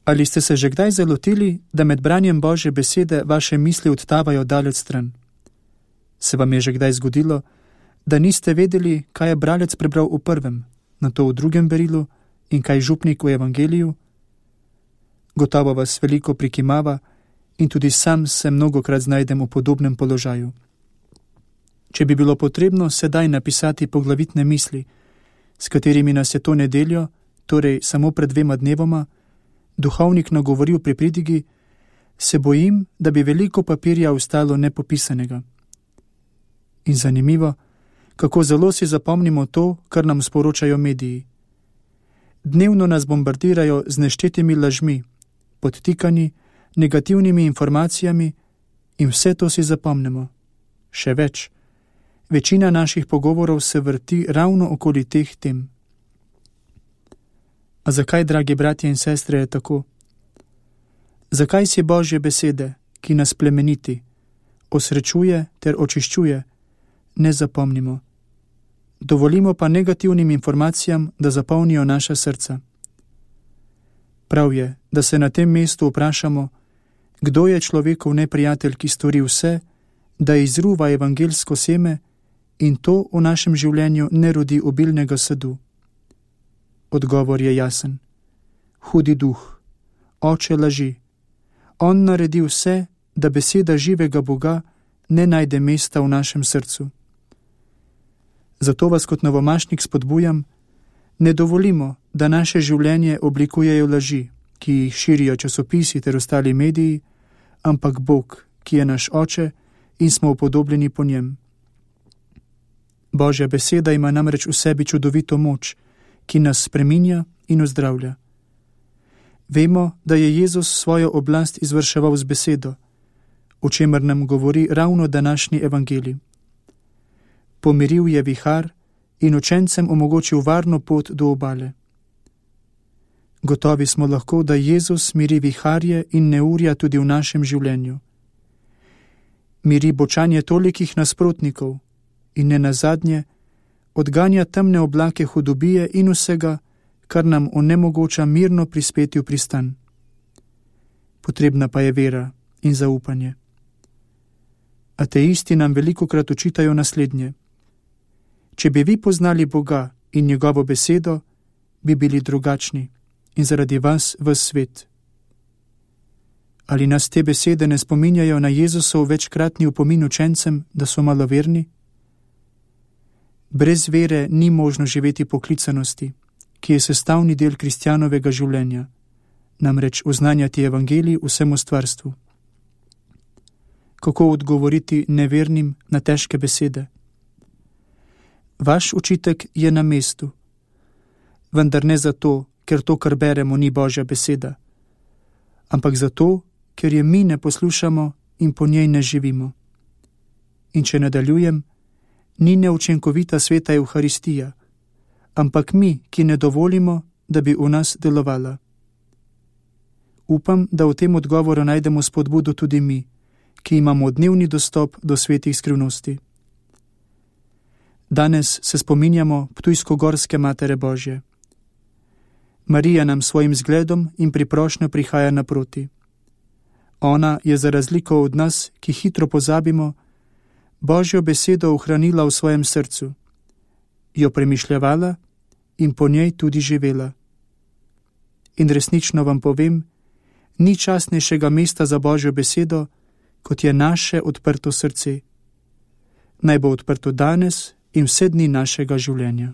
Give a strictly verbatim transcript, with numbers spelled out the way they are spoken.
Ali ste se že kdaj zalotili, da med branjem Božje besede vaše misli odtavajo daleč stran? Se vam je že kdaj zgodilo, da niste vedeli, kaj je bralec prebral v prvem, nato v drugem berilu in kaj župnik v evangeliju? Gotovo vas veliko prikimava in tudi sam se mnogokrat znajdem v podobnem položaju. Če bi bilo potrebno sedaj napisati poglavitne misli, s katerimi nas je to nedeljo, torej samo pred dvema dnevoma, duhovnik nagovoril pri pridigi, se bojim, da bi veliko papirja ostalo nepopisanega. In zanimivo, kako zelo si zapomnimo to, kar nam sporočajo mediji. Dnevno nas bombardirajo z neštetimi lažmi, podtikani, negativnimi informacijami in vse to si zapomnimo. Še več, večina naših pogovorov se vrti ravno okoli teh tem. A zakaj, dragi bratje in sestre, je tako? Zakaj si Božje besede, ki nas plemeniti, osrečuje ter očiščuje, ne zapomnimo? Dovolimo pa negativnim informacijam, da zapolnijo naša srca. Prav je, da se na tem mestu vprašamo, kdo je človekov neprijatelj, ki stori vse, da izruva evangelsko seme in to v našem življenju ne rodi obilnega sadu. Odgovor je jasen. Hudi duh, oče laži. On naredi vse, da beseda živega Boga ne najde mesta v našem srcu. Zato vas kot novomašnik spodbujam, ne dovolimo, da naše življenje oblikujejo laži, ki jih širijo časopisi ter ostali mediji, ampak Bog, ki je naš oče in smo upodobljeni po njem. Božja beseda ima namreč v sebi čudovito moč, ki nas spreminja in ozdravlja. Vemo, da je Jezus svojo oblast izvrševal z besedo, o čemer nam govori ravno današnji evangelij. Pomiril je vihar in učencem omogočil varno pot do obale. Gotovi smo lahko, da Jezus miri viharje in neurja tudi v našem življenju. Miri bočanje tolikih nasprotnikov in ne nazadnje odganja temne oblake hudobije in vsega, kar nam onemogoča mirno prispeti v pristan. Potrebna pa je vera in zaupanje. Ateisti nam velikokrat očitajo naslednje. Če bi vi poznali Boga in njegovo besedo, bi bili drugačni in zaradi vas ves svet. Ali nas te besede ne spominjajo na Jezusov večkratni opomin učencem, da so maloverni? Brez vere ni možno živeti poklicanosti, ki je sestavni del kristjanovega življenja, namreč oznanjati evangelij vsemu stvarstvu. Kako odgovoriti nevernim na težke besede? Vaš učitek je na mestu, vendar ne zato, ker to, kar beremo, ni Božja beseda, ampak zato, ker je mi ne poslušamo in po njej ne živimo. In če nadaljujem, ni neučinkovita sveta Evharistija, ampak mi, ki ne dovolimo, da bi v nas delovala. Upam, da v tem odgovoru najdemo spodbudo tudi mi, ki imamo dnevni dostop do svetih skrivnosti. Danes se spominjamo Ptujsko-Gorske Matere Božje. Marija nam svojim zgledom in priprošnjo prihaja naproti. Ona je za razliko od nas, ki hitro pozabimo, Božjo besedo ohranila v svojem srcu, jo premišljevala in po njej tudi živela. In resnično vam povem, ni častnejšega mesta za Božjo besedo, kot je naše odprto srce. Naj bo odprto danes in vse dni našega življenja.